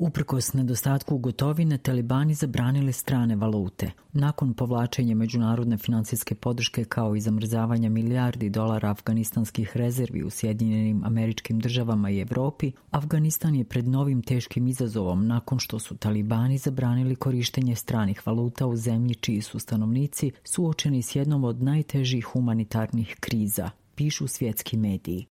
Uprkos nedostatku gotovine, talibani zabranili strane valute. Nakon povlačenja međunarodne financijske podrške kao i zamrzavanja milijardi dolara afganistanskih rezervi u Sjedinjenim Američkim Državama i Evropi, Afganistan je pred novim teškim izazovom nakon što su talibani zabranili korištenje stranih valuta u zemlji čiji su stanovnici suočeni s jednom od najtežih humanitarnih kriza, pišu svjetski mediji.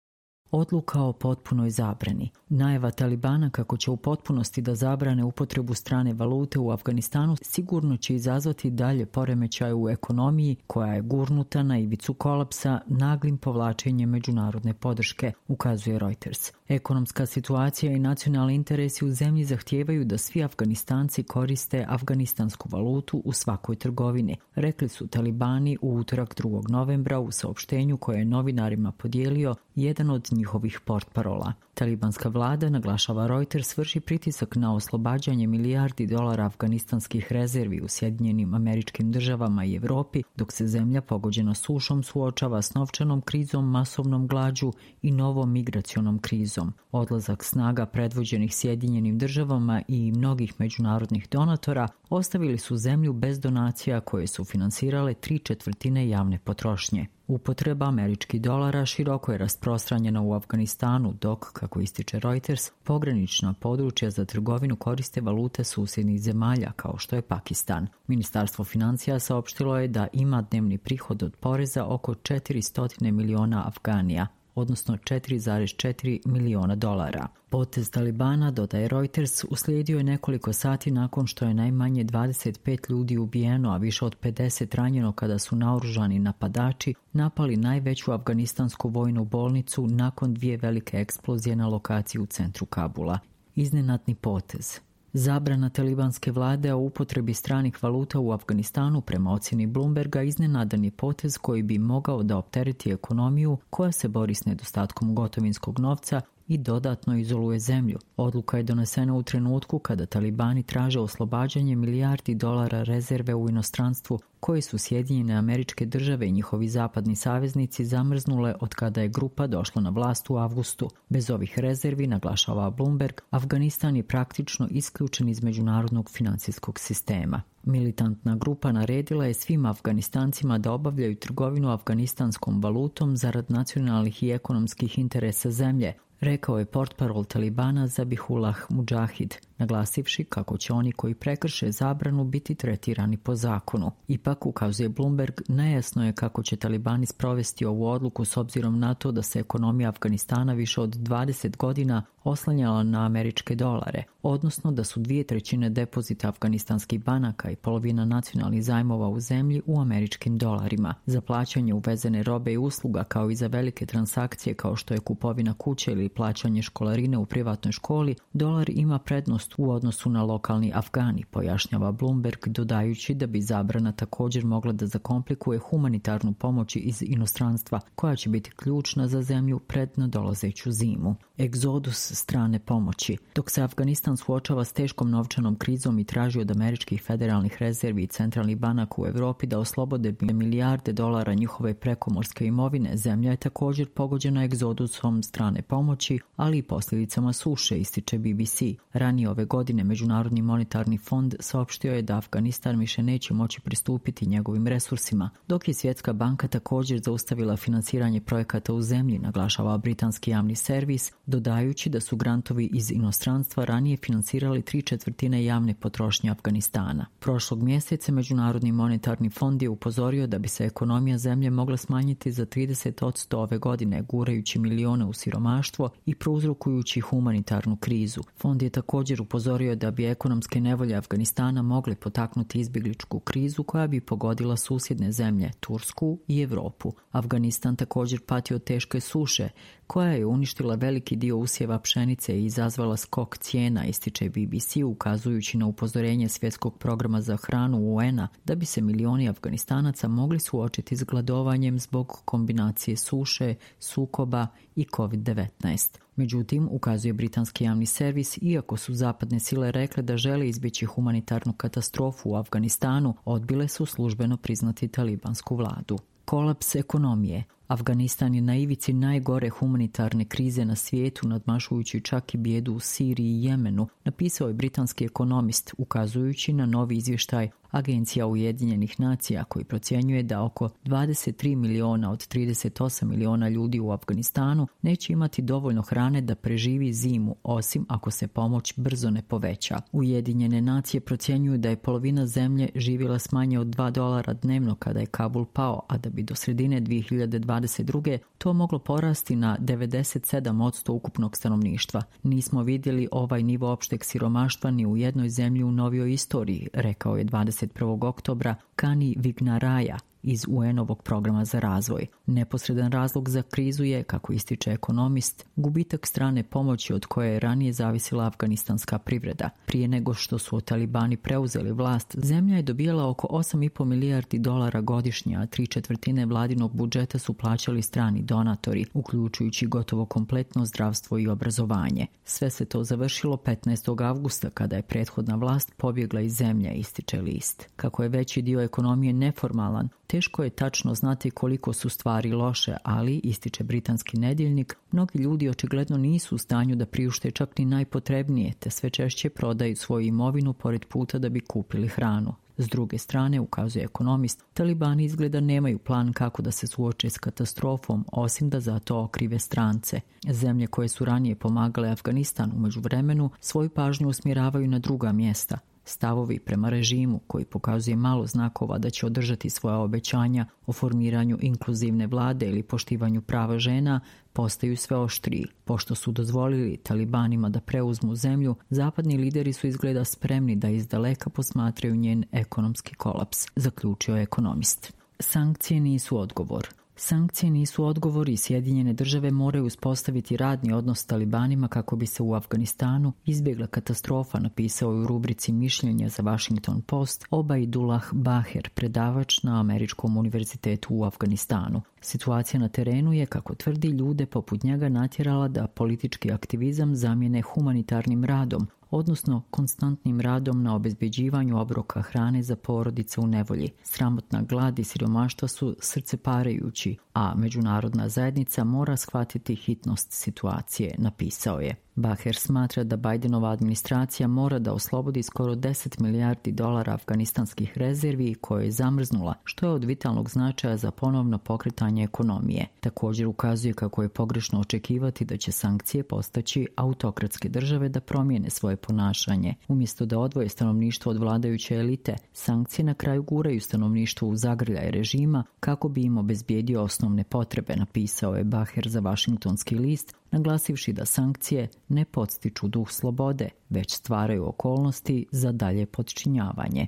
Odluka o potpunoj zabrani. Najava Talibana kako će u potpunosti da zabrane upotrebu strane valute u Afganistanu sigurno će izazvati dalje poremećaje u ekonomiji koja je gurnuta na ivicu kolapsa naglim povlačenjem međunarodne podrške, ukazuje Reuters. Ekonomska situacija i nacionalni interesi u zemlji zahtijevaju da svi Afganistanci koriste afganistansku valutu u svakoj trgovini, rekli su Talibani u utorak 2. novembra u saopštenju koje je novinarima podijelio jedan od njihovih portparola. Talibanska vlada, naglašava Reuters, vrši pritisak na oslobađanje milijardi dolara afganistanskih rezervi u Sjedinjenim Američkim Državama i Evropi, dok se zemlja pogođena sušom suočava s novčanom krizom, masovnom glađu i novom migracionom krizom. Odlazak snaga predvođenih Sjedinjenim Državama i mnogih međunarodnih donatora ostavili su zemlju bez donacija koje su finansirale 3/4 javne potrošnje. Upotreba američkih dolara široko je rasprostranjena u Afganistanu, dok, kako ističe Reuters, pogranična područja za trgovinu koriste valute susjednih zemalja kao što je Pakistan. Ministarstvo financija saopštilo je da ima dnevni prihod od poreza oko 400 miliona Afganija, odnosno 4,4 miliona dolara. Potez Talibana, dodaje Reuters, uslijedio je nekoliko sati nakon što je najmanje 25 ljudi ubijeno, a više od 50 ranjeno kada su naoružani napadači napali najveću afganistansku vojnu bolnicu nakon 2 velike eksplozije na lokaciji u centru Kabula. Iznenadni potez. Zabrana talibanske vlade o upotrebi stranih valuta u Afganistanu prema ocjeni Bloomberga iznenadan je potez koji bi mogao da optereti ekonomiju koja se bori s nedostatkom gotovinskog novca i dodatno izoluje zemlju. Odluka je donesena u trenutku kada talibani traže oslobađanje milijardi dolara rezerve u inostranstvu koje su Sjedinjene Američke Države i njihovi zapadni saveznici zamrznule od kada je grupa došla na vlast u avgustu. Bez ovih rezervi, naglašava Bloomberg, Afganistan je praktično isključen iz međunarodnog financijskog sistema. Militantna grupa naredila je svim Afganistancima da obavljaju trgovinu afganistanskom valutom zarad nacionalnih i ekonomskih interesa zemlje, rekao je portparol Talibana Zabihullah Mujahid, naglasivši kako će oni koji prekrše zabranu biti tretirani po zakonu. Ipak, ukazuje Bloomberg, nejasno je kako će Talibani sprovesti ovu odluku s obzirom na to da se ekonomija Afganistana više od 20 godina oslanjala na američke dolare, odnosno da su 2/3 depozita afganistanskih banaka i polovina nacionalnih zajmova u zemlji u američkim dolarima. Za plaćanje uvezene robe i usluga kao i za velike transakcije kao što je kupovina kuće ili plaćanje školarine u privatnoj školi, dolar ima prednost u odnosu na lokalni Afgani, pojašnjava Bloomberg, dodajući da bi zabrana također mogla da zakomplikuje humanitarnu pomoć iz inostranstva, koja će biti ključna za zemlju pred nadolazeću zimu. Egzodus strane pomoći. Dok se Afganistan suočava s teškom novčanom krizom i traži od američkih federalnih rezervi i centralnih banaka u Evropi da oslobode milijarde dolara njihove prekomorske imovine, zemlja je također pogođena egzodusom strane pomoći, ali i posljedicama suše, ističe BBC. Ranije ove godine Međunarodni monetarni fond saopštio je da Afganistan više neće moći pristupiti njegovim resursima, dok je Svjetska banka također zaustavila finansiranje projekata u zemlji, naglašava britanski javni servis, dodajući da su grantovi iz inostranstva ranije finansirali 3/4 javne potrošnje Afganistana. Prošlog mjeseca Međunarodni monetarni fond je upozorio da bi se ekonomija zemlje mogla smanjiti za 30% ove godine, gurajući milione u siromaštvo i prouzrokujući humanitarnu krizu. Fond je također upozorio da bi ekonomske nevolje Afganistana mogle potaknuti izbjegličku krizu koja bi pogodila susjedne zemlje, Tursku i Europu. Afganistan također pati od teške suše, koja je uništila veliki dio usjeva pšenice i izazvala skok cijena, ističe BBC, ukazujući na upozorenje Svjetskog programa za hranu UN-a da bi se milioni Afganistanaca mogli suočiti s gladovanjem zbog kombinacije suše, sukoba i COVID-19. Međutim, ukazuje britanski javni servis, iako su zapadne sile rekle da žele izbjeći humanitarnu katastrofu u Afganistanu, odbile su službeno priznati talibansku vladu. Kolaps ekonomije. Afganistan je na ivici najgore humanitarne krize na svijetu, nadmašujući čak i bijedu u Siriji i Jemenu, napisao je britanski ekonomist, ukazujući na novi izvještaj Agencija Ujedinjenih nacija koji procjenjuje da oko 23 miliona od 38 miliona ljudi u Afganistanu neće imati dovoljno hrane da preživi zimu, osim ako se pomoć brzo ne poveća. Ujedinjene nacije procjenjuju da je polovina zemlje živjela s manje od $2 dnevno kada je Kabul pao, a da bi do sredine 2022. to moglo porasti na 97% ukupnog stanovništva. Nismo vidjeli ovaj nivo opšteg siromaštva ni u jednoj zemlji u novijoj istoriji, rekao je 21. oktobra Kani Vignaraja iz UN-ovog programa za razvoj. Neposredan razlog za krizu je, kako ističe ekonomist, gubitak strane pomoći od koje je ranije zavisila afganistanska privreda. Prije nego što su talibani preuzeli vlast, zemlja je dobijala oko $8,5 milijardi godišnje, a 3/4 vladinog budžeta su plaćali strani donatori, uključujući gotovo kompletno zdravstvo i obrazovanje. Sve se to završilo 15. avgusta kada je prethodna vlast pobjegla iz zemlje, ističe list. Kako je veći dio ekonomije neformalan, teško je tačno znati koliko su stvari loše, ali, ističe britanski nedjeljnik, mnogi ljudi očigledno nisu u stanju da priušte čak ni najpotrebnije, te sve češće prodaju svoju imovinu pored puta da bi kupili hranu. S druge strane, ukazuje ekonomist, talibani izgleda nemaju plan kako da se suoče s katastrofom, osim da za to okrive strance. Zemlje koje su ranije pomagale Afganistanu u međuvremenu svoju pažnju usmjeravaju na druga mjesta. Stavovi prema režimu, koji pokazuje malo znakova da će održati svoja obećanja o formiranju inkluzivne vlade ili poštivanju prava žena, postaju sve oštriji. Pošto su dozvolili talibanima da preuzmu zemlju, zapadni lideri su izgleda spremni da izdaleka posmatraju njen ekonomski kolaps, zaključio je ekonomist. Sankcije nisu odgovor. Sankcije nisu odgovor i Sjedinjene države moraju uspostaviti radni odnos s talibanima kako bi se u Afganistanu izbjegla katastrofa, napisao je u rubrici mišljenja za Washington Post Obaidullah Baher, predavač na Američkom univerzitetu u Afganistanu. Situacija na terenu je, kako tvrdi, ljude poput njega natjerala da politički aktivizam zamijene humanitarnim radom, odnosno konstantnim radom na obezbeđivanju obroka hrane za porodice u nevolji. Sramotna glad i siromaštva su srceparajući, a međunarodna zajednica mora shvatiti hitnost situacije, napisao je. Baher smatra da Bidenova administracija mora da oslobodi skoro $10 milijardi afganistanskih rezervi koje je zamrznula, što je od vitalnog značaja za ponovno pokretanje ekonomije. Također ukazuje kako je pogrešno očekivati da će sankcije postaći autokratske države da promijene svoje ponašanje. Umjesto da odvoje stanovništvo od vladajuće elite, sankcije na kraju guraju stanovništvo u zagrljaj režima kako bi im obezbijedio osnovne potrebe, napisao je Baher za Washingtonski list, naglasivši da sankcije ne podstiču duh slobode, već stvaraju okolnosti za dalje podčinjavanje.